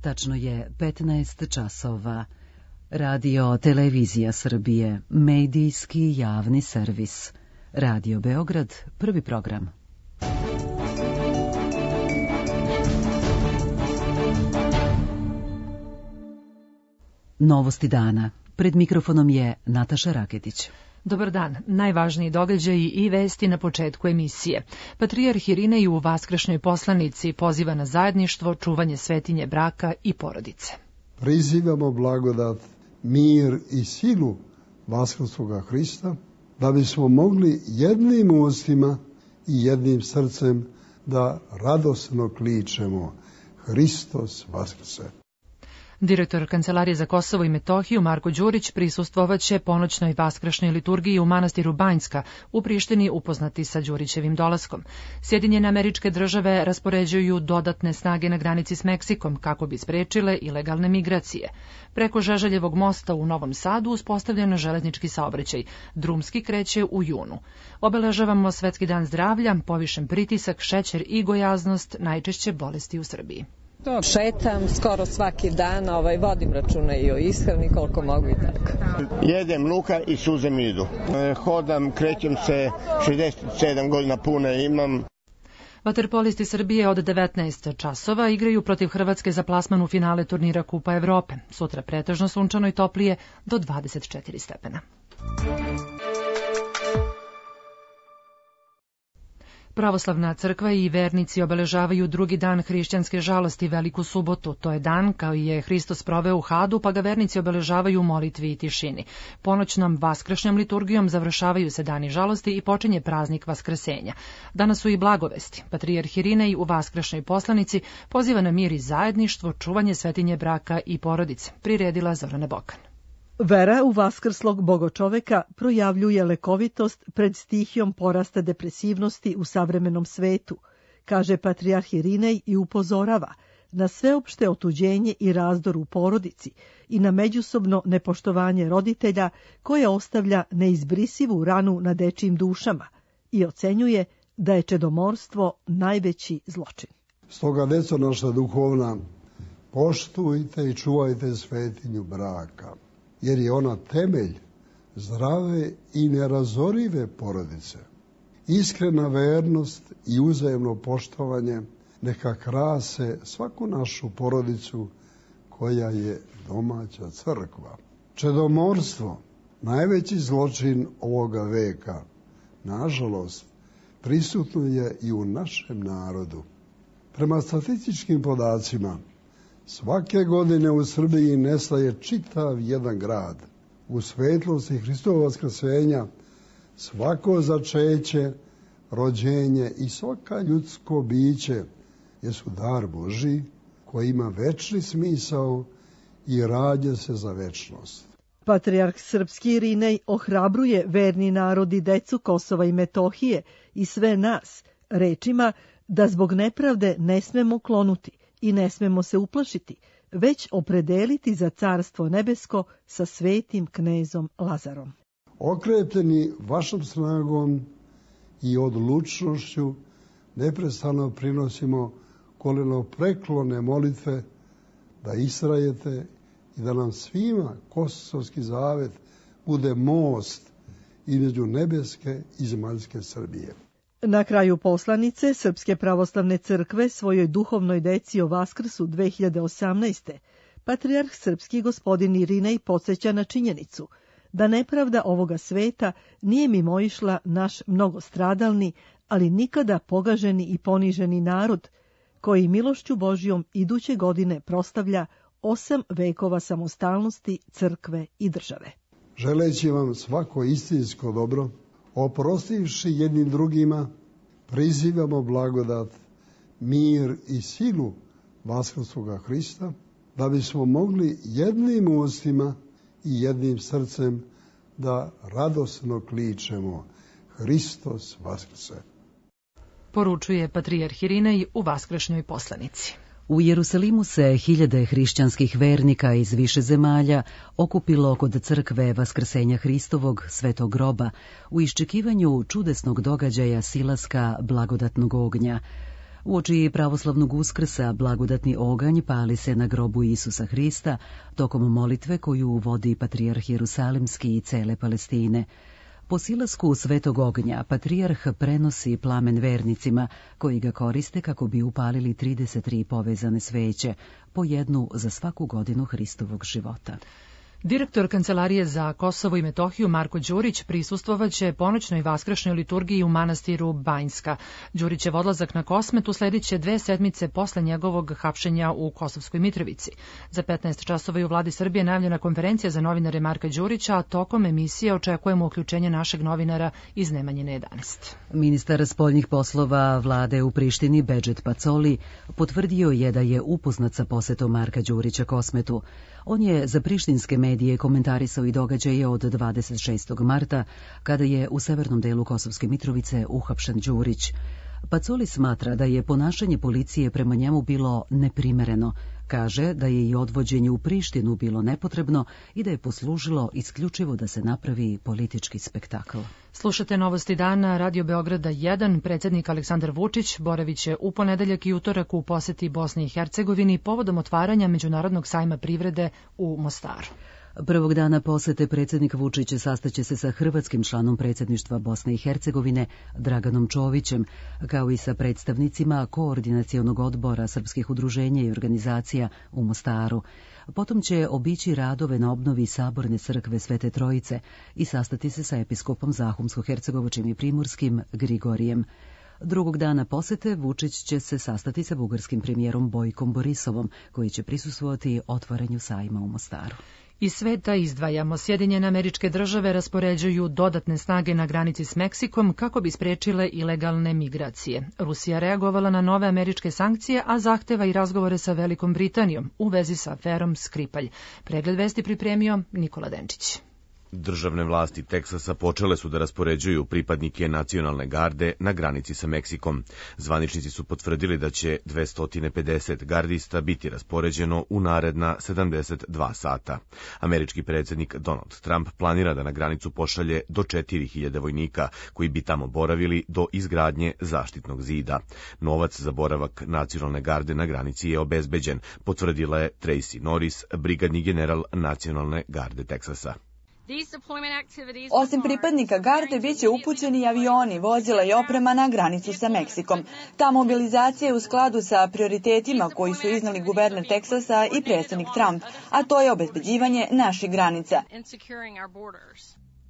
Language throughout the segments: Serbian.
Tačno je 15 časova. Radio Televizija Srbije, medijski javni servis. Radio Beograd, prvi program. Novosti dana. Pred mikrofonom je Nataša Raketić. Dobar dan. Najvažniji događaji i vesti na početku emisije. Patrijarh Irinej u Vaskršnjoj poslanici poziva na zajedništvo, čuvanje svetinje braka i porodice. Prizivamo blagodat, mir i silu Vaskrskoga Hrista, da bismo mogli jednim ustima i jednim srcem da radosno kličemo Hristos Vaskrse. Direktor Kancelarije za Kosovo i Metohiju Marko Đurić prisustvovaće ponoćnoj vaskršnjoj liturgiji u manastiru Banjska u Prištini, upoznati sa Đurićevim dolaskom. Sjedinjene Američke Države raspoređuju dodatne snage na granici s Meksikom kako bi sprečile ilegalne migracije. Preko Žeželjevog mosta u Novom Sadu uspostavljen železnički saobraćaj. Drumski kreće u junu. Obeležavamo Svetski dan zdravlja, povišen pritisak, šećer i gojaznost, najčešće bolesti u Srbiji. Šetam skoro svaki dan, vodim računa i o ishrani koliko mogu i tako. Jedem luka i suze mi idu. Hodam, krećem se, 67 godina pune imam. Vaterpolisti Srbije od 19 časova igraju protiv Hrvatske za plasman u finale turnira Kupa Evrope. Sutra pretežno sunčano i toplije do 24 stepena. Pravoslavna crkva i vernici obeležavaju drugi dan hrišćanske žalosti, Veliku subotu. To je dan koji je Hristos proveo u Hadu, pa ga vernici obeležavaju u molitvi i tišini. Ponoćnom vaskršnjom liturgijom završavaju se dani žalosti i počinje praznik Vaskrsenja. Danas su i blagovesti. Patrijarh Irinej u Vaskršnjoj poslanici poziva na mir i zajedništvo, čuvanje svetinje braka i porodice. Priredila Zorana Bokan. Vera u vaskrslog bogočoveka projavljuje lekovitost pred stihijom porasta depresivnosti u savremenom svetu, kaže patrijarh Irinej i upozorava na sveopšte otuđenje i razdor u porodici i na međusobno nepoštovanje roditelja koje ostavlja neizbrisivu ranu na dečijim dušama i ocenjuje da je čedomorstvo najveći zločin. Stoga, deco naša duhovna, poštujte i čuvajte svetinju braka, jer je ona temelj zdrave i nerazorive porodice. Iskrena vernost i uzajemno poštovanje neka krase svaku našu porodicu koja je domaća crkva. Čedomorstvo, najveći zločin ovoga veka, nažalost, prisutno je i u našem narodu. Prema statističkim podacima, svake godine u Srbiji nestaje čitav jedan grad. U svetlosti Hristovog vaskrsenja svako začeće, rođenje i svaka ljudsko biće jesu dar Božji koji ima večni smisao i rađa se za večnost. Patrijarh srpski Irinej ohrabruje verni narod i decu Kosova i Metohije i sve nas rečima da zbog nepravde ne smemo klonuti i ne smemo se uplašiti, već opredeliti za carstvo nebesko sa svetim knezom Lazarom. Okrepljeni vašom snagom i odlučnošću neprestano prinosimo kolenopreklone molitve da istrajete i da nam svima Kosovski zavet bude most između nebeske i zemaljske Srbije. Na kraju poslanice Srpske pravoslavne crkve svojoj duhovnoj deci o Vaskrsu 2018. patrijarh srpski gospodin Irinej podsjeća na činjenicu da nepravda ovoga sveta nije mimoišla naš mnogostradalni, ali nikada pogaženi i poniženi narod, koji milošću Božjom iduće godine proslavlja 8 vekova samostalnosti crkve i države. Želeći vam svako istinsko dobro, oprostivši jednim drugima, prizivamo blagodat, mir i silu Vaskrskoga Hrista, da bismo mogli jednim ustima i jednim srcem da radosno kličemo Hristos Vaskrse. Poručuje patrijarh Irinej u Vaskršnjoj poslanici. U Jerusalimu se hiljade hrišćanskih vernika iz više zemalja okupilo kod crkve Vaskrsenja Hristovog Svetog groba u iščekivanju čudesnog događaja silaska blagodatnog ognja. Uoči pravoslavnog Uskrsa blagodatni oganj pali se na grobu Isusa Hrista tokom molitve koju vodi patrijarh Jerusalimski i cele Palestine. Po silasku svetog ognja patrijarh prenosi plamen vernicima koji ga koriste kako bi upalili 33 povezane sveće, po jednu za svaku godinu Hristovog života. Direktor Kancelarije za Kosovo i Metohiju Marko Đurić prisustvovaće ponoćnoj vaskršnjoj liturgiji u manastiru Banjska. Đurićev odlazak na Kosmet uslediće 2 sedmice posle njegovog hapšenja u Kosovskoj Mitrovici. Za 15 časova je u vladi Srbije najavljena konferencija za novinare Marka Đurića, a tokom emisije očekujemo uključenje našeg novinara iz Nemanjine 11. Ministar spoljnih poslova vlade u Prištini Bedžet Pacoli potvrdio je da je upoznat sa posetom Marka Đurića Kosmetu. On je za prištinske medije komentarisao i događaje od 26. marta, kada je u severnom delu Kosovske Mitrovice uhapšen Đurić. Pacoli smatra da je ponašanje policije prema njemu bilo neprimereno. Kaže da je i odvođenje u Prištinu bilo nepotrebno i da je poslužilo isključivo da se napravi politički spektakl. Slušate Novosti dana, Radio Beograda 1. Predsjednik Aleksandar Vučić boraviće u ponedeljak i utorak u poseti Bosni i Hercegovini povodom otvaranja Međunarodnog sajma privrede u Mostaru. Prvog dana posete predsjednik Vučić sastaće se sa hrvatskim članom predsjedništva Bosne i Hercegovine Draganom Čovićem, kao i sa predstavnicima Koordinacionog odbora srpskih udruženja i organizacija u Mostaru. Potom će obići radove na obnovi Saborne crkve Svete Trojice i sastati se sa episkopom Zahumsko-Hercegovačkim i Primorskim Grigorijem. Drugog dana posete Vučić će se sastati sa bugarskim premijerom Bojkom Borisovom, koji će prisustvovati otvaranju sajma u Mostaru. Iz sveta izdvajamo. Sjedinjene Američke Države raspoređuju dodatne snage na granici s Meksikom kako bi spriječile ilegalne migracije. Rusija reagovala na nove američke sankcije, a zahteva i razgovore sa Velikom Britanijom u vezi sa aferom Skripalj. Pregled vesti pripremio Nikola Denčić. Državne vlasti Teksasa počele su da raspoređuju pripadnike nacionalne garde na granici sa Meksikom. Zvaničnici su potvrdili da će 250 gardista biti raspoređeno u naredna 72 sata. Američki predsjednik Donald Trump planira da na granicu pošalje do 4000 vojnika koji bi tamo boravili do izgradnje zaštitnog zida. Novac za boravak nacionalne garde na granici je obezbeđen, potvrdila je Tracy Norris, brigadni general nacionalne garde Teksasa. Osim pripadnika garde, bit će upućeni avioni, vozila i oprema na granicu sa Meksikom. Ta mobilizacija je u skladu sa prioritetima koji su iznali guverner Teksasa i predsjednik Trump, a to je obezbeđivanje naših granica.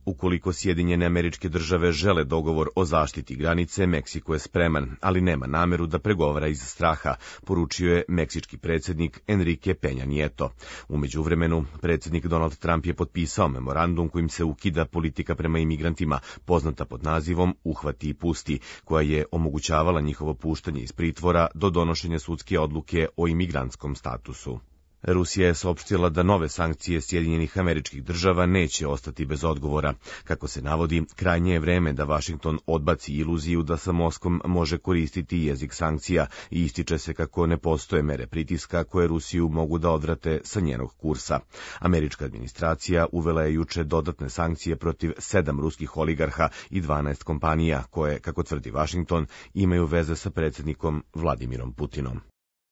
Ukoliko Sjedinjene Američke Države žele dogovor o zaštiti granice, Meksiko je spreman, ali nema nameru da pregovara iz straha, poručio je meksički predsjednik Enrique Peña Nieto. U međuvremenu, predsjednik Donald Trump je potpisao memorandum kojim se ukida politika prema imigrantima, poznata pod nazivom Uhvati i pusti, koja je omogućavala njihovo puštanje iz pritvora do donošenja sudske odluke o imigrantskom statusu. Rusija je saopštila da nove sankcije Sjedinjenih Američkih Država neće ostati bez odgovora. Kako se navodi, krajnje je vreme da Vašington odbaci iluziju da sa Moskvom može koristiti jezik sankcija i ističe se kako ne postoje mere pritiska koje Rusiju mogu da odvrate sa njenog kursa. Američka administracija uvela je juče dodatne sankcije protiv 7 ruskih oligarha i 12 kompanija koje, kako tvrdi Vašington, imaju veze sa predsjednikom Vladimirom Putinom.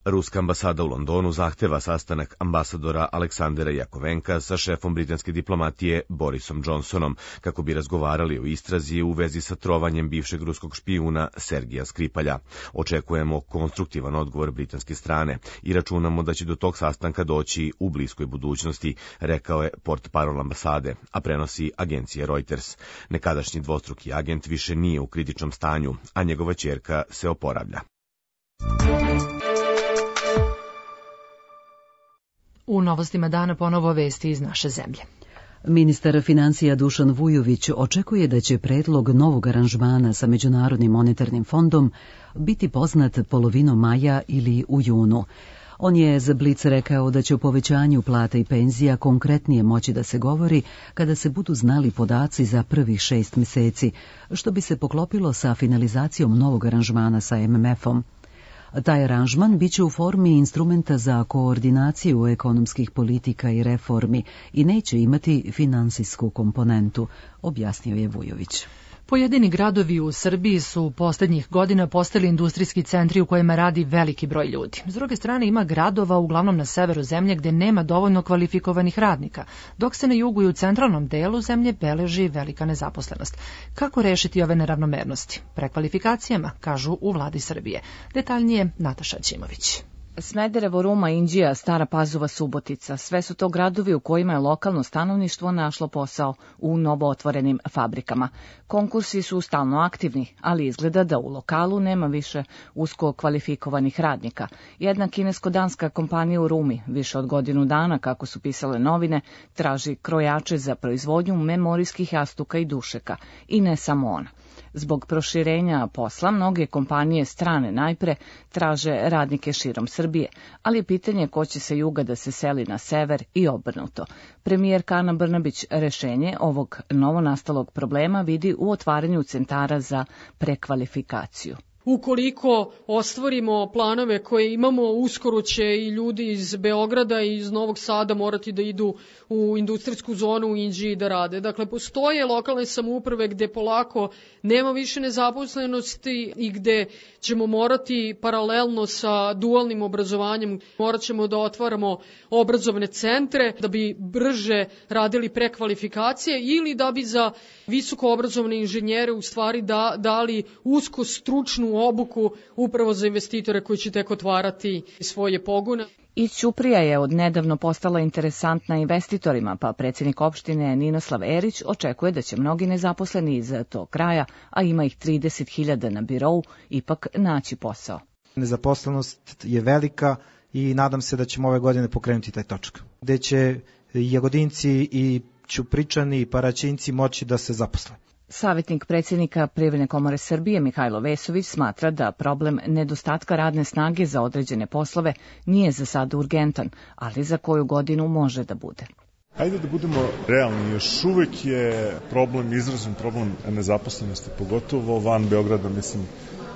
Ruska ambasada u Londonu zahteva sastanak ambasadora Aleksandera Jakovenka sa šefom britanske diplomatije Borisom Johnsonom, kako bi razgovarali o istrazi u vezi sa trovanjem bivšeg ruskog špijuna Sergija Skripalja. Očekujemo konstruktivan odgovor britanske strane i računamo da će do tog sastanka doći u bliskoj budućnosti, rekao je portparol ambasade, a prenosi agencija Reuters. Nekadašnji dvostruki agent više nije u kritičnom stanju, a njegova ćerka se oporavlja. U novostima dana ponovo vesti iz naše zemlje. Ministar financija Dušan Vujović očekuje da će predlog novog aranžmana sa Međunarodnim monetarnim fondom biti poznat polovinom maja ili u junu. On je za Blic rekao da će o povećanju plata i penzija konkretnije moći da se govori kada se budu znali podaci za prvih 6 mjeseci, što bi se poklopilo sa finalizacijom novog aranžmana sa MMF-om. Taj aranžman biće u formi instrumenta za koordinaciju ekonomskih politika i reformi i neće imati finansijsku komponentu, objasnio je Vujović. Pojedini gradovi u Srbiji su poslednjih godina postali industrijski centri u kojima radi veliki broj ljudi. S druge strane ima gradova, uglavnom na severu zemlje, gde nema dovoljno kvalifikovanih radnika, dok se na jugu i u centralnom delu zemlje beleži velika nezaposlenost. Kako rešiti ove neravnomernosti? Prekvalifikacijama, kažu u vladi Srbije. Detaljnije Nataša Ćimović. Smederevo, Ruma, Inđija, Stara Pazova, Subotica, sve su to gradovi u kojima je lokalno stanovništvo našlo posao u novootvorenim fabrikama. Konkursi su stalno aktivni, ali izgleda da u lokalu nema više usko kvalifikovanih radnika. Jedna kinesko-danska kompanija u Rumi, više od godinu dana, kako su pisale novine, traži krojače za proizvodnju memorijskih jastuka i dušeka. I ne samo ona. Zbog proširenja posla, mnoge kompanije strane najpre traže radnike širom Srbije, ali je pitanje ko će sa juga da se seli na sever i obrnuto. Premijerka Ana Brnabić rešenje ovog novonastalog problema vidi u otvaranju centara za prekvalifikaciju. Ukoliko ostvarimo planove koje imamo, uskoro će i ljudi iz Beograda i iz Novog Sada morati da idu u industrijsku zonu u Inđiji da rade. Dakle, postoje lokalne samouprave gde polako nema više nezaposlenosti i gde ćemo morati paralelno sa dualnim obrazovanjem, morat ćemo da otvaramo obrazovne centre da bi brže radili prekvalifikacije ili da bi za visoko obrazovne inženjere u stvari dali usko stručnu obuku upravo za investitore koji će tek otvarati svoje pogone. I Ćuprija je od nedavno postala interesantna investitorima, pa predsjednik opštine Ninoslav Erić očekuje da će mnogi nezaposleni iz tog kraja, a ima ih 30.000 na birou, ipak naći posao. Nezaposlenost je velika i nadam se da ćemo ove godine pokrenuti taj točak, gde će Jagodinci i Ćupričani i Paraćinci moći da se zaposle. Savjetnik predsjednika Privredne komore Srbije Mihajlo Vesović smatra da problem nedostatka radne snage za određene poslove nije za sada urgentan, ali za koju godinu može da bude. Hajde da budemo realni, još uvek je izražen problem nezaposlenosti, pogotovo van Beograda, mislim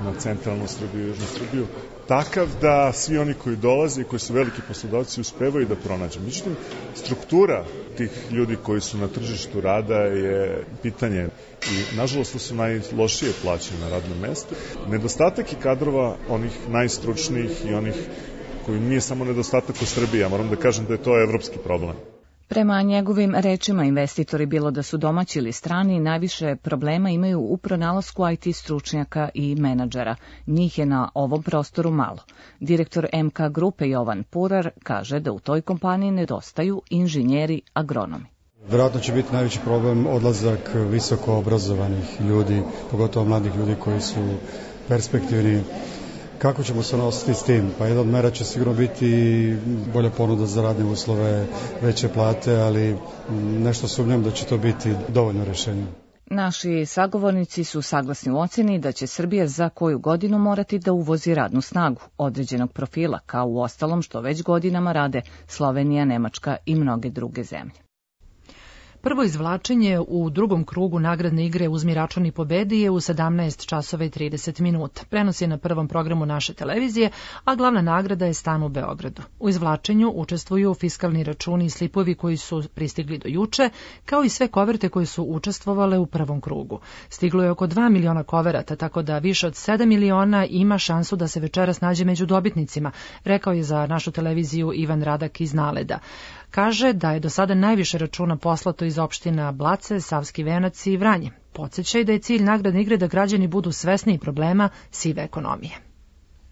na centralnu Srbiju i južnu Srbiju, takav da svi oni koji dolaze i koji su veliki poslodavci uspevaju da pronađu. Međutim, struktura tih ljudi koji su na tržištu rada je pitanje i nažalost to su najlošije plaćene na radnom mestu. Nedostatak i kadrova onih najstručnijih i onih koji nije samo nedostatak u Srbiji, ja moram da kažem da je to evropski problem. Prema njegovim rečima, investitori, bilo da su domaći ili strani, najviše problema imaju u pronalasku IT stručnjaka i menadžera. Njih je na ovom prostoru malo. Direktor MK grupe Jovan Purar kaže da u toj kompaniji nedostaju inženjeri agronomi. Vjerojatno će biti najveći problem odlazak visoko obrazovanih ljudi, pogotovo mladih ljudi koji su perspektivni. Kako ćemo se nositi s tim? Pa jedna od mera će sigurno biti bolja ponuda za radne uslove, veće plate, ali nešto sumnjam da će to biti dovoljno rješenje. Naši sagovornici su saglasni u oceni da će Srbija za koju godinu morati da uvozi radnu snagu određenog profila, kao u ostalom što već godinama rade Slovenija, Nemačka i mnoge druge zemlje. Prvo izvlačenje u drugom krugu nagradne igre Uzmi račun i pobedi je u 17 časova i 30 minuta. Prenos je na prvom programu naše televizije, a glavna nagrada je stan u Beogradu. U izvlačenju učestvuju fiskalni računi i slipovi koji su pristigli do juče, kao i sve koverte koje su učestvovale u prvom krugu. Stiglo je oko 2 miliona koverata, tako da više od 7 miliona ima šansu da se večeras nađe među dobitnicima, rekao je za našu televiziju Ivan Radak iz Naleda. Kaže da je do sada najviše računa poslato iz opština Blace, Savski Venac i Vranje. Podsećaj da je cilj nagradne igre da građani budu svesni problema sive ekonomije.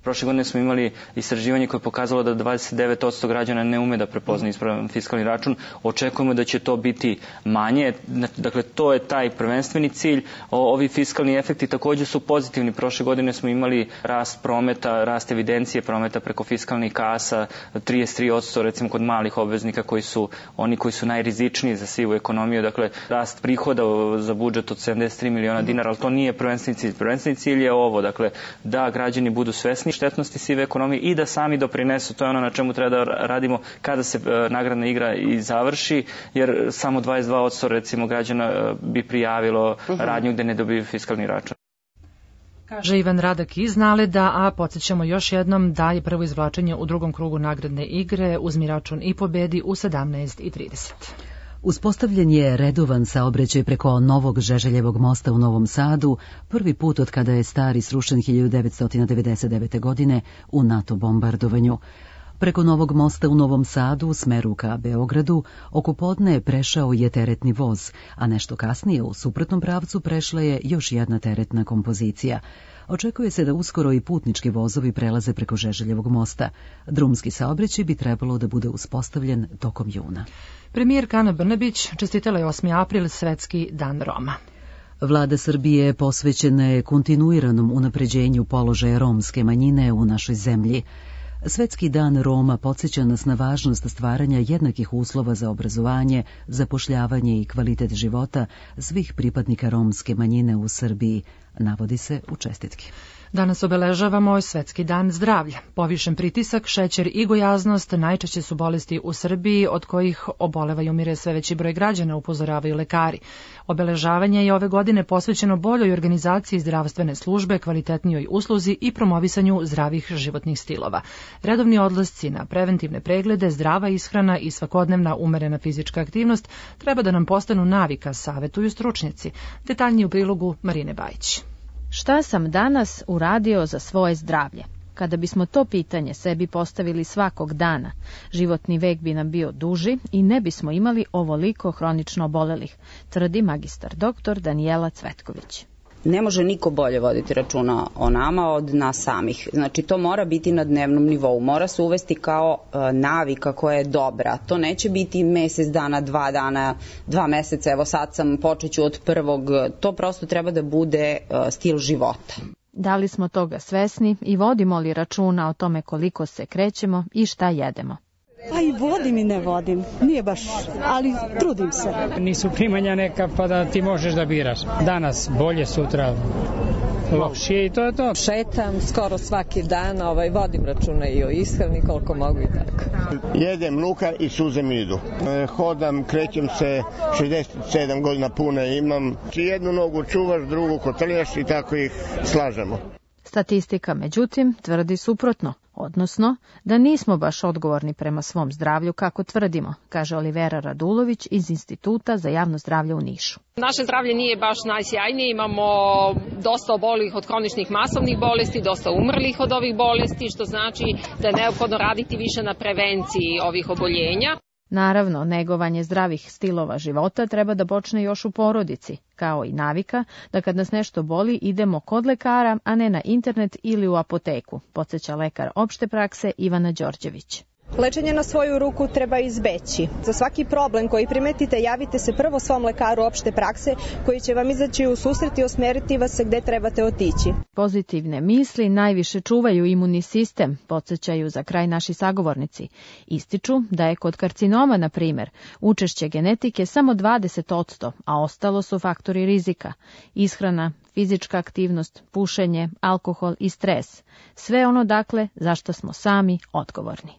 Prošle godine smo imali istraživanje koje je pokazalo da 29% građana ne ume da prepozna ispravan fiskalni račun. Očekujemo da će to biti manje. Dakle, to je taj prvenstveni cilj. Ovi fiskalni efekti također su pozitivni. Prošle godine smo imali rast prometa, rast evidencije prometa preko fiskalnih kasa, 33% recimo kod malih obveznika koji su najrizičniji za sivu ekonomiju. Dakle, rast prihoda za budžet od 73 miliona dinara, ali to nije prvenstveni cilj. Prvenstveni cilj je ovo, dakle, da građani budu svesni štetnosti sive ekonomije i da sami doprinesu. To je ono na čemu treba da radimo kada se nagradna igra i završi, jer samo 22% recimo građana bi prijavilo radnju gde ne dobiju fiskalni račun. Kaže Ivan Radak iz Naleda, a podsjećamo još jednom da je prvo izvlačenje u drugom krugu nagradne igre Uzmi račun i pobedi u 17:30. Uspostavljen je redovan saobraćaj preko Novog Žeželjevog mosta u Novom Sadu, prvi put od kada je stari srušen 1999. godine u NATO bombardovanju. Preko Novog mosta u Novom Sadu u smeru ka Beogradu oko podne prešao je teretni voz, a nešto kasnije u suprotnom pravcu prešla je još jedna teretna kompozicija. Očekuje se da uskoro i putnički vozovi prelaze preko Žeželjevog mosta. Drumski saobraćaj bi trebalo da bude uspostavljen tokom juna. Premijerka Ana Brnabić čestitala je 8. april Svetski dan Roma. Vlada Srbije posvećena je kontinuiranom unapređenju položaja romske manjine u našoj zemlji. Svetski dan Roma podsjeća nas na važnost stvaranja jednakih uslova za obrazovanje, zapošljavanje i kvalitet života svih pripadnika romske manjine u Srbiji, navodi se u čestitki. Danas obeležavamo Svetski dan zdravlja. Povišen pritisak, šećer i gojaznost najčešće su bolesti u Srbiji od kojih oboleva i umire sve veći broj građana, upozoravaju lekari. Obeležavanje je ove godine posvećeno boljoj organizaciji zdravstvene službe, kvalitetnijoj usluzi i promovisanju zdravih životnih stilova. Redovni odlasci na preventivne preglede, zdrava ishrana i svakodnevna umerena fizička aktivnost treba da nam postanu navika, savetuju stručnjaci. Detaljnije u prilogu Marine Bajić. Šta sam danas uradio za svoje zdravlje? Kada bismo to pitanje sebi postavili svakog dana, životni vek bi nam bio duži i ne bismo imali ovoliko hronično obolelih, tvrdi magistar doktor Danijela Cvetković. Ne može niko bolje voditi računa o nama od nas samih. Znači, to mora biti na dnevnom nivou. Mora se uvesti kao navika koja je dobra. To neće biti mesec dana, 2 dana, 2 meseca. Evo sad sam, počeću od prvog. To prosto treba da bude stil života. Da li smo toga svesni i vodimo li računa o tome koliko se krećemo i šta jedemo? Pa i vodim i ne vodim, nije baš, ali trudim se. Nisu primanja neka pa da ti možeš da biraš. Danas bolje, sutra lošije i to je to. Šetam skoro svaki dan, vodim računa i o ishrani koliko mogu i tako. Jedem luka i suze mi idu. Hodam, krećem se, 67 godina pune imam. Jednu nogu čuvaš, drugu kotrljaš i tako ih slažemo. Statistika, međutim, tvrdi suprotno, odnosno da nismo baš odgovorni prema svom zdravlju kako tvrdimo, kaže Olivera Radulović iz Instituta za javno zdravlje u Nišu. Naše zdravlje nije baš najsjajnije, imamo dosta obolelih od kroničnih masovnih bolesti, dosta umrlih od ovih bolesti, što znači da je neophodno raditi više na prevenciji ovih oboljenja. Naravno, negovanje zdravih stilova života treba da počne još u porodici, kao i navika da kad nas nešto boli idemo kod lekara, a ne na internet ili u apoteku, podsjeća lekar opšte prakse Ivana Đorđević. Lečenje na svoju ruku treba izbeći. Za svaki problem koji primetite, javite se prvo svom lekaru opšte prakse koji će vam izaći u susret i usmeriti vas gde trebate otići. Pozitivne misli najviše čuvaju imunni sistem, podsjećaju za kraj naši sagovornici. Ističu da je kod karcinoma, na primjer, učešće genetike samo 20%, a ostalo su faktori rizika. Ishrana, fizička aktivnost, pušenje, alkohol i stres. Sve ono, dakle, zašto smo sami odgovorni.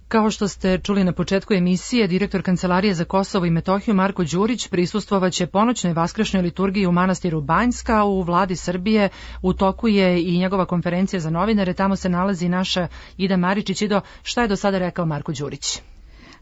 Kao što ste čuli na početku emisije, direktor Kancelarije za Kosovo i Metohiju Marko Đurić prisustvovaće ponoćnoj vaskršnjoj liturgiji u manastiru Banjska u vladi Srbije. U toku je i njegova konferencija za novinare, tamo se nalazi naša Ida Maričić. Ido, šta je do sada rekao Marko Đurić?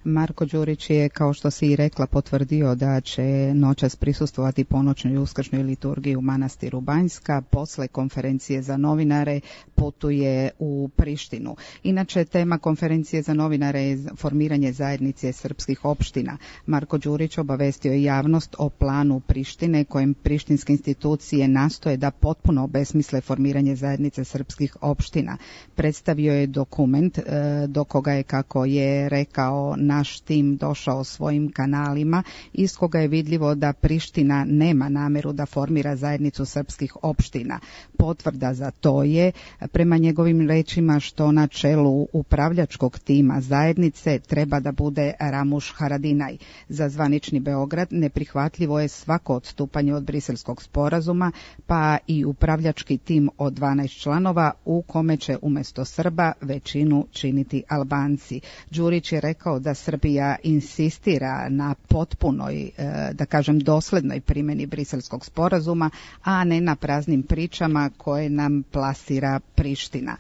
Marko Đurić je, kao što si i rekla, potvrdio da će noćas prisustvovati ponoćnoj uskršnjoj liturgiji u manastiru Banjska. Posle konferencije za novinare putuje u Prištinu. Inače, tema konferencije za novinare je formiranje zajednice srpskih opština. Marko Đurić obavestio je javnost o planu Prištine kojem prištinske institucije nastoje da potpuno obesmisle formiranje zajednice srpskih opština. Predstavio je dokument do koga je, kako je rekao, naš tim došao svojim kanalima, iz koga je vidljivo da Priština nema nameru da formira zajednicu srpskih opština. Potvrda za to je, prema njegovim rečima, što na čelu upravljačkog tima zajednice treba da bude Ramuš Haradinaj. Za zvanični Beograd neprihvatljivo je svako odstupanje od Briselskog sporazuma, pa i upravljački tim od 12 članova u kome će umjesto Srba većinu činiti Albanci. Đurić je rekao da Srbija insistira na potpunoj, da kažem, doslednoj primjeni Briselskog sporazuma, a ne na praznim pričama koje nam plasira Priština.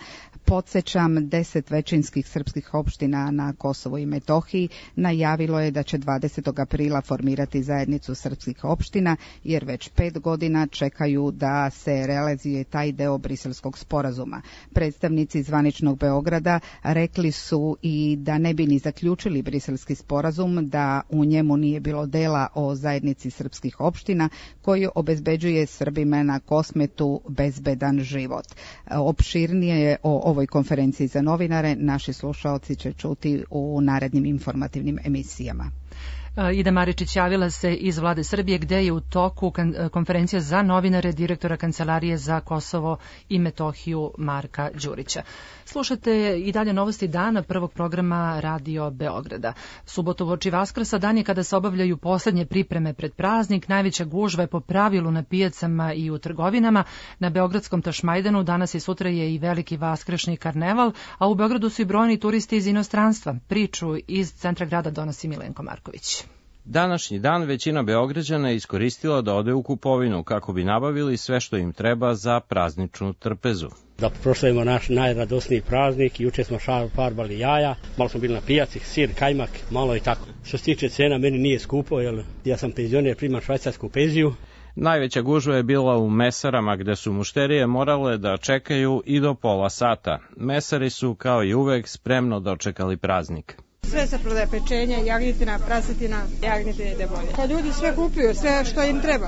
Podsjećam, 10 većinskih srpskih opština na Kosovu i Metohiji najavilo je da će 20. aprila formirati zajednicu srpskih opština, jer već 5 godina čekaju da se realizuje taj deo Briselskog sporazuma. Predstavnici zvaničnog Beograda rekli su i da ne bi ni zaključili Briselski sporazum da u njemu nije bilo dela o zajednici srpskih opština koji obezbeđuje Srbima na Kosmetu bezbedan život. Opširnije o ovoj konferenciji za novinare naši slušaoci će čuti u narednim informativnim emisijama. Ida Maričić javila se iz Vlade Srbije gde je u toku konferencija za novinare direktora Kancelarije za Kosovo i Metohiju Marka Đurića. Slušate i dalje novosti dana prvog programa Radio Beograda. Subotu uoči Vaskrsa dan je kada se obavljaju poslednje pripreme pred praznik. Najveća gužva je po pravilu na pijacama i u trgovinama. Na Beogradskom Tašmajdanu danas i sutra je i veliki vaskršnji karneval, a u Beogradu su i brojni turisti iz inostranstva. Priču iz centra grada donosi Milenko Marković. Današnji dan većina Beograđana je iskoristila da ode u kupovinu kako bi nabavili sve što im treba za prazničnu trpezu. Da proslavimo naš najradosniji praznik, juče smo farbali jaja, malo smo bili na pijaci, sir, kajmak, malo i tako. Što se tiče cena, meni nije skupo, jer ja sam penzioner, primam švajcarsku penziju. Najveća gužva je bila u mesarama gde su mušterije morale da čekaju i do pola sata. Mesari su kao i uvek spremno dočekali praznik. Sve se prodaje, pečenje, jagnjetina, prasetina, jagnjetine ide bolje. Pa ljudi sve kupuju, sve što im treba.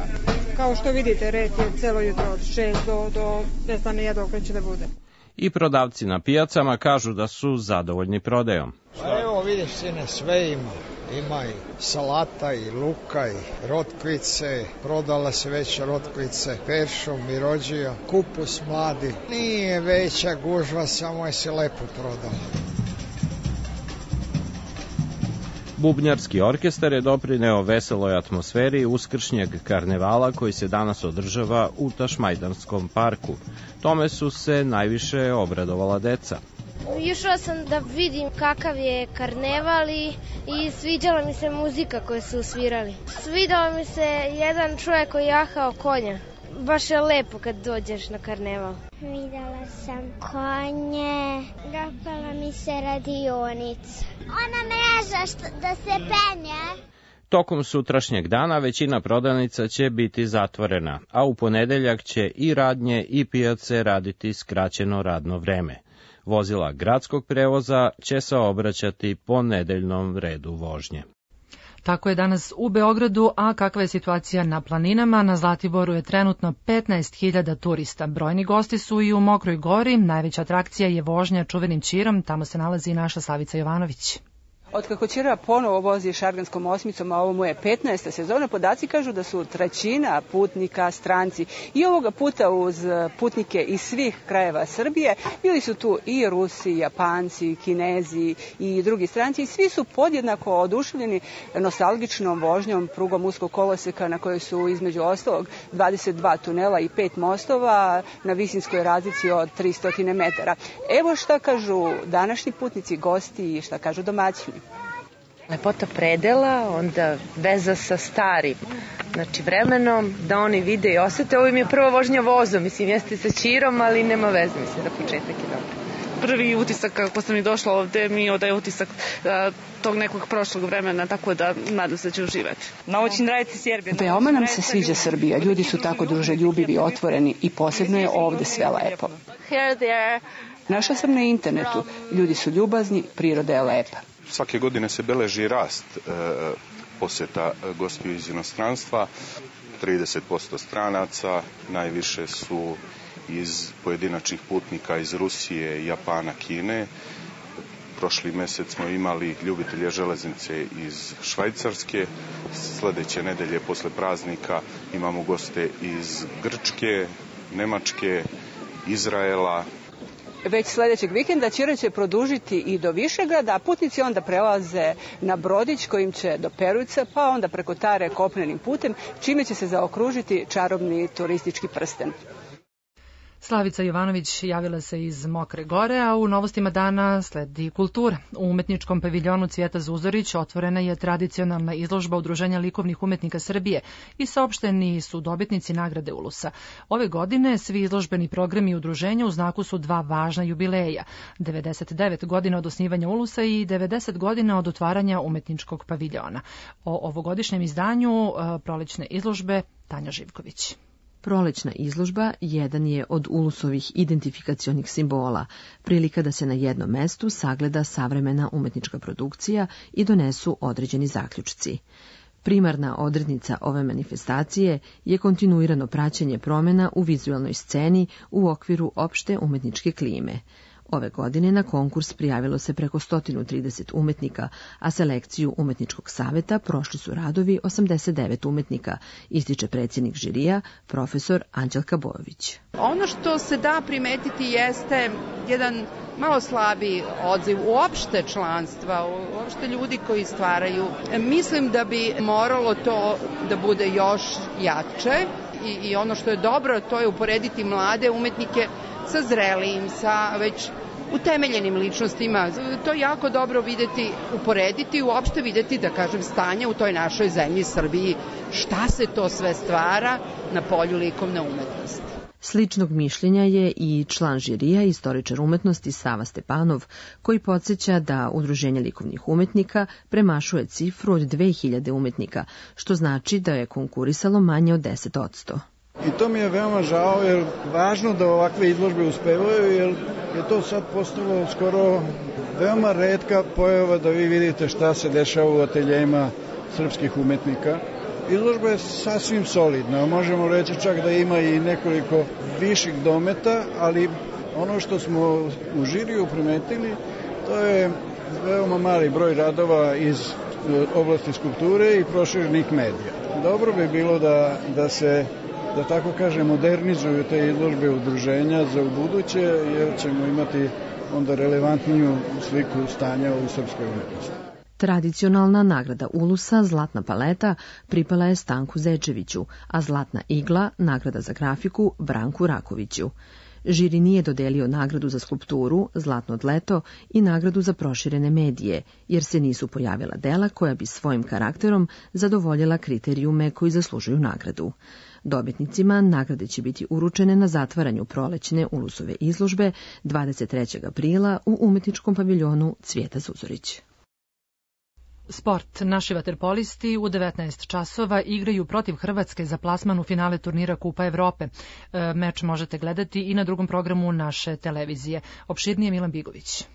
Kao što vidite, red je celo jutro od 6 do ne znam nije dok će da bude. I prodavci na pijacama kažu da su zadovoljni prodajom. Pa evo vidiš sine, sve ima. Ima i salata i luka i rotkvice, prodala se već rotkvice, peršum i rođija, kupus mladi. Nije veća gužva, samo je se lepo prodala. Bubnjarski orkestar je doprineo veseloj atmosferi uskršnjeg karnevala koji se danas održava u Tašmajdanskom parku. Tome su se najviše obradovala deca. Išla sam da vidim kakav je karneval i sviđala mi se muzika koju su svirali. Svidao mi se jedan čovjek koji jahao konja. Baš je lepo kad dođeš na karneval. Videla sam konje, dopala mi se radionica. Ona ne zna da se penje. Tokom sutrašnjeg dana većina prodavnica će biti zatvorena, a u ponedeljak će i radnje i pijace raditi skraćeno radno vreme. Vozila gradskog prevoza će se obraćati po nedeljnom redu vožnje. Tako je danas u Beogradu, a kakva je situacija na planinama? Na Zlatiboru je trenutno 15.000 turista. Brojni gosti su i u Mokroj Gori. Najveća atrakcija je vožnja čuvenim Ćirom. Tamo se nalazi i naša Slavica Jovanović. Otkako Ćira ponovo vozi Šarganskom osmicom, a ovo mu je 15. sezona, podaci kažu da su trećina putnika stranci. I ovoga puta uz putnike iz svih krajeva Srbije bili su tu i Rusi, Japanci, Kinezi i drugi stranci. I svi su podjednako oduševljeni nostalgičnom vožnjom prugom uskog koloseka na kojoj su između ostalog 22 tunela i 5 mostova na visinskoj razlici od 300 metara. Evo šta kažu današnji putnici, gosti i šta kažu domaćini. Lepota predela, onda veza sa starim, znači vremenom, da oni vide i osete. Ovo im je prva vožnja vozom, mislim, jeste sa Ćirom, ali nema veze, mislim, da početak je dobro. Prvi utisak kako sam i došla ovde mi odaje utisak tog nekog prošlog vremena, tako da nadam se da će uživati. Очень нравится Сербия. Veoma nam se sviđa Srbija, ljudi su tako druželjubivi, otvoreni i posebno je ovde sve lepo. Našla sam na internetu, ljudi su ljubazni, priroda je lepa. Svake godine se beleži rast poseta gostiju iz inostranstva, 30% stranaca, najviše su iz pojedinačnih putnika iz Rusije, Japana, Kine. Prošli mesec smo imali ljubitelje železnice iz Švajcarske, sledeće nedelje posle praznika imamo goste iz Grčke, Nemačke, Izraela. Već sledećeg vikenda Ćira će produžiti i do Višegrada, a putnici onda prelaze na brodić kojim će do Perujca, pa onda preko Tare kopnenim putem, čime će se zaokružiti čarobni turistički prsten. Slavica Jovanović javila se iz Mokre Gore, a u novostima dana sledi kultura. U umetničkom paviljonu Cvijeta Zuzorić otvorena je tradicionalna izložba Udruženja likovnih umetnika Srbije i saopšteni su dobitnici nagrade Ulusa. Ove godine svi izložbeni programi udruženja u znaku su dva važna jubileja, 99 godina od osnivanja Ulusa i 90 godina od otvaranja umetničkog paviljona. O ovogodišnjem izdanju prolećne izložbe Tanja Živković. Prolećna izložba jedan je od Ulusovih identifikacionih simbola, prilika da se na jednom mestu sagleda savremena umetnička produkcija i donesu određeni zaključci. Primarna odrednica ove manifestacije je kontinuirano praćenje promjena u vizualnoj sceni u okviru opšte umetničke klime. Ove godine na konkurs prijavilo se preko 130 umetnika, a selekciju Umetničkog saveta prošli su radovi 89 umetnika, ističe predsjednik žirija, profesor Anđelka Bojović. Ono što se da primetiti jeste jedan malo slabiji odziv uopšte članstva, uopšte ljudi koji stvaraju. Mislim da bi moralo to da bude još jače i ono što je dobro, to je uporediti mlade umetnike sa zrelijim, sa već utemeljenim ličnostima. To je jako dobro videti, uporediti, uopšte videti, da kažem, stanje u toj našoj zemlji Srbiji, šta se to sve stvara na polju likovne umetnosti. Sličnog mišljenja je i član žirija, istoričar umetnosti Sava Stepanov, koji podsjeća da Udruženje likovnih umetnika premašuje cifru od 2000 umetnika, što znači da je konkurisalo manje od 10%. I to mi je veoma žao, jer važno da ovakve izložbe uspevaju, jer je to sad postalo skoro veoma retka pojava da vi vidite šta se dešava u ateljejima srpskih umetnika. Izložba je sasvim solidna, možemo reći čak da ima i nekoliko viših dometa, ali ono što smo u žiriju primetili, to je veoma mali broj radova iz oblasti skulpture i proširenih medija. Dobro bi bilo da se, da tako kažem, modernizuju te izložbe udruženja za ubuduće, jer ćemo imati onda relevantniju sliku stanja u srpskoj umetnosti. Tradicionalna nagrada Ulusa, Zlatna paleta, pripala je Stanku Zečeviću, a Zlatna igla, nagrada za grafiku, Branku Rakoviću. Žiri nije dodelio nagradu za skulpturu, Zlatno dleto i nagradu za proširene medije, jer se nisu pojavila dela koja bi svojim karakterom zadovoljila kriterijume koji zaslužuju nagradu. Dobitnicima nagrade će biti uručene na zatvaranju prolećne Ulusove izložbe 23. aprila u umetničkom paviljonu Cvijeta Zuzorić. Sport. Naši vaterpolisti u 19 časova igraju protiv Hrvatske za plasman u finale turnira Kupa Evrope. Meč možete gledati i na drugom programu naše televizije. Opširnije Milan Bigović.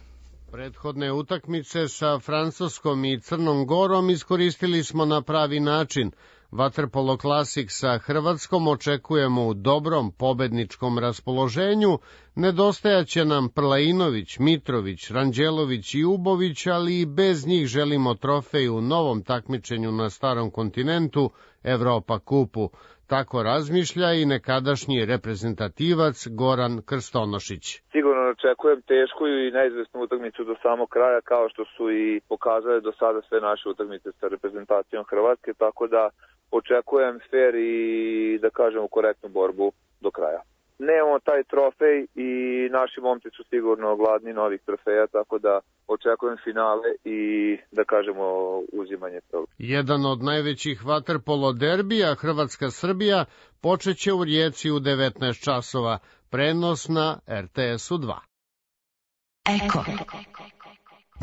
Prethodne utakmice sa Francuskom i Crnom Gorom iskoristili smo na pravi način. Vaterpolo Klasik sa Hrvatskom očekujemo u dobrom pobedničkom raspoloženju. Nedostajaće nam Prlainović, Mitrović, Ranđelović i Ubović, ali i bez njih želimo trofej u novom takmičenju na starom kontinentu, Evropa kupu. Tako razmišlja i nekadašnji reprezentativac Goran Krstonošić. Sigurno očekujem tešku i neizvesnu utakmicu do samog kraja, kao što su i pokazale do sada sve naše utakmice sa reprezentacijom Hrvatske, tako da očekujem fer i, da kažem, korektnu borbu do kraja. Nemamo taj trofej i naši momci su sigurno gladni novih trofeja, tako da očekujem finale i, da kažemo, uzimanje prvog. Jedan od najvećih vaterpolo derbija Hrvatska-Srbija počeće u Rijeci u 19 časova, prenos na RTS-u 2. Eko.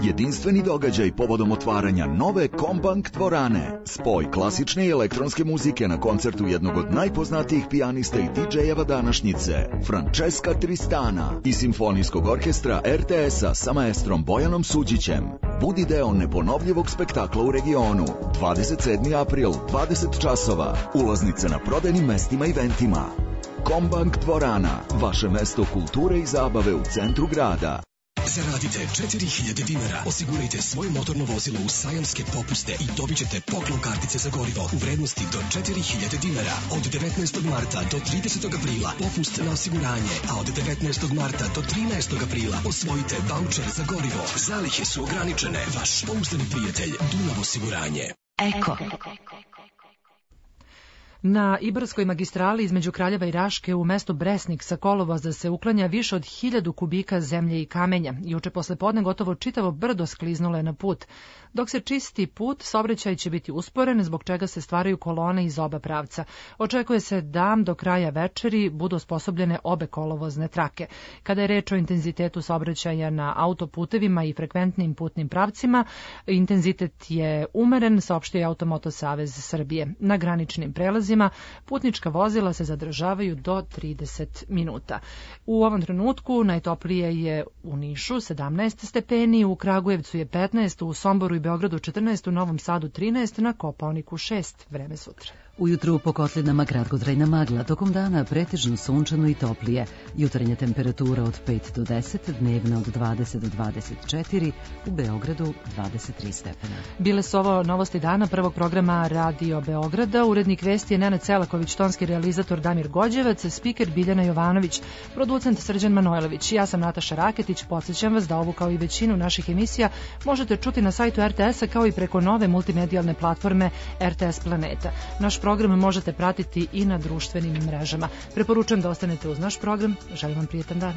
Jedinstveni događaj povodom otvaranja nove Kombank dvorane. Spoj klasične i elektronske muzike na koncertu jednog od najpoznatijih pijanista i DJ-eva današnjice, Francesca Tristana, i simfonijskog orkestra RTS-a sa maestrom Bojanom Suđićem. Budi deo neponovljivog spektakla u regionu. 27. april, 20 časova. Ulaznice na prodajnim mestima i eventima. Kombank dvorana, vaše mesto kulture i zabave u centru grada. Zaradite 4000 dinara, osigurajte svoje motorno vozilo u sajamske popuste i dobit ćete poklon kartice za gorivo u vrednosti do 4000 dinara. Od 19. marta do 30. aprila popust na osiguranje, a od 19. marta do 13. aprila osvojite vaučer za gorivo. Zalihe su ograničene. Vaš pouzdani prijatelj Dunav osiguranje. Eko. Na Ibarskoj magistrali između Kraljeva i Raške u mestu Bresnik sa kolovoza se uklanja više od 1000 kubika zemlje i kamenja. Juče posle podne gotovo čitavo brdo skliznulo je na put. Dok se čisti put, saobraćaj će biti usporen, zbog čega se stvaraju kolone iz oba pravca. Očekuje se da do kraja večeri budu osposobljene obe kolovozne trake. Kada je reč o intenzitetu saobraćaja na autoputevima i frekventnim putnim pravcima, intenzitet je umeren, saopštio je Automoto Savez Srbije. Na graničnim prelazima putnička vozila se zadržavaju do 30 minuta. U ovom trenutku najtoplije je u Nišu 17 stepeni, u Kragujevcu je 15, u Somboru i Beogradu 14, u Novom Sadu 13, na Kopaoniku 6. Vreme sutra. Ujutru po kotlinama kratkotrajna magla, tokom dana pretežno sunčano i toplije. Jutarnja temperatura od 5 do 10, dnevna od 20 do 24, u Beogradu 23 stepena. Bile su ovo novosti dana prvog programa Radio Beograda. Urednik vesti je Nenad Selaković, tonski realizator Damir Gođevac, spiker Biljana Jovanović, producent Srđan Manojlović. Ja sam Nataša Raketić, podsjećam vas da ovu kao i većinu naših emisija možete čuti na sajtu RTS-a kao i preko nove multimedijalne platforme RTS Planeta. Naš program možete pratiti i na društvenim mrežama. Preporučujem da ostanete uz naš program. Želim vam prijetan dan.